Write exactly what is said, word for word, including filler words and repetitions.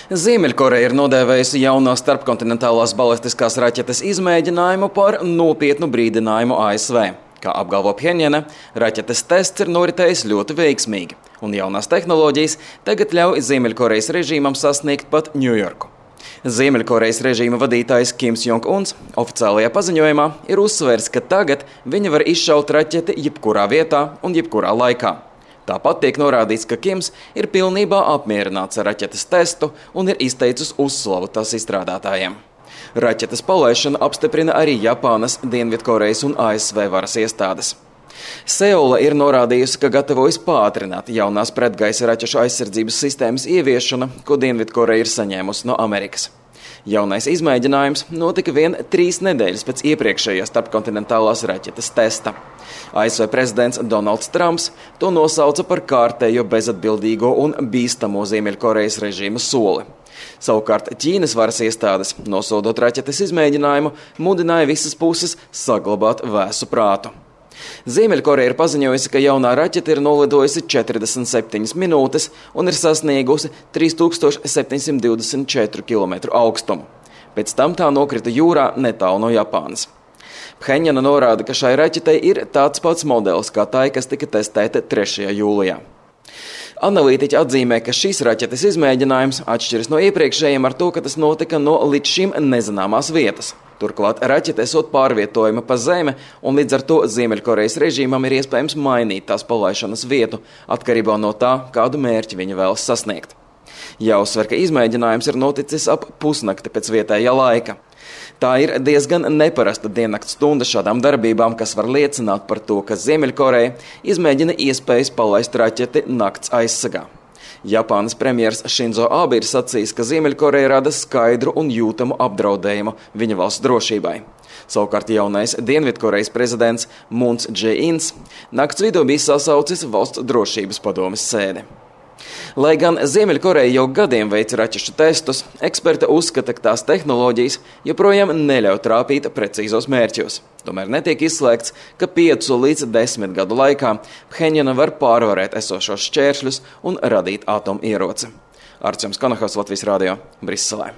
Ziemeļkoreja ir nodēvējusi jauno starpkontinentālās balistiskās raķetes izmēģinājumu par nopietnu brīdinājumu A S V. Kā apgalvo Phenjana, raķetes tests ir noritējis ļoti veiksmīgi, un jaunās tehnoloģijas tagad ļauj Ziemeļkorejas režīmam sasniegt pat Ņujorku. Ziemeļkorejas režīma vadītājs Kims Jong-uns oficiālajā paziņojumā ir uzsvērs, ka tagad viņa var izšaut raķeti jebkurā vietā un jebkurā laikā. Tāpat tiek norādīts, ka Kims ir pilnībā apmierināts ar raķetes testu un ir izteicis uzslavu tās izstrādātājiem. Raķetes palaišanu apstiprina arī Japānas, Dienvidkorejas un A S V varas iestādes. Seula ir norādījusi, ka gatavojas pātrināt jaunās pretgaisa raķešu aizsardzības sistēmas ieviešanu, ko Dienvidkoreja ir saņēmusi no Amerikas. Jaunais izmēģinājums notika vien trīs nedēļas pēc iepriekšējā starpkontinentālās raķetes testa. A S V prezidents Donalds Trumps to nosauca par kārtējo bezatbildīgo un bīstamo Ziemeļkorejas režīma soli. Savukārt Ķīnas varas iestādes, nosodot raķetes izmēģinājumu, mudināja visas puses saglabāt vēsu prātu. Ziemeļkoreja ir paziņojusi, ka jaunā raķete ir nolidojusi četrdesmit septiņas minūtes un ir sasniegusi trīs tūkstoši septiņsimt divdesmit četru kilometru augstumu. Pēc tam tā nokrita jūrā netālu no Japānas. Phenjana norāda, ka šai raķetei ir tāds pats modelis kā tai, kas tika testēta trešajā jūlijā. Analītiķi atzīmē, ka šīs raķetes izmēģinājums atšķiras no iepriekšējiem ar to, ka tas notika no līdz šim nezināmās vietas. Turklāt raķete esot pārvietojama pa zemi, un līdz ar to Ziemeļkorejas režīmam ir iespējams mainīt tās palaišanas vietu, atkarībā no tā, kādu mērķi viņa vēlas sasniegt. Jāuzsver, ka izmēģinājums ir noticis ap pusnakti pēc vietējā laika. Tā ir diezgan neparasta diennakts stunda šādām darbībām, kas var liecināt par to, ka Ziemeļkoreja izmēģina iespējas palaist raķeti nakts aizsegā. Japānas premjers Šinzo Abe ir sacījis, ka Ziemeļkoreja rada skaidru un jūtamu apdraudējumu viņa valsts drošībai. Savukārt jaunais Dienvidkorejas prezidents Mūns Džē-ins nakts vidū bija sasaucis valsts drošības padomes sēdi. Lai gan Ziemeļkoreja jau gadiem veic raķešu testus, eksperti uzskata, ka tās tehnoloģijas joprojām neļauj trāpīt precīzos mērķos. Tomēr netiek izslēgts, ka piecu līdz desmit gadu laikā Phenjana var pārvarēt esošos šķēršļus un radīt atomieroci. Arčuns Konohavs, Latvijas radio, Briselē.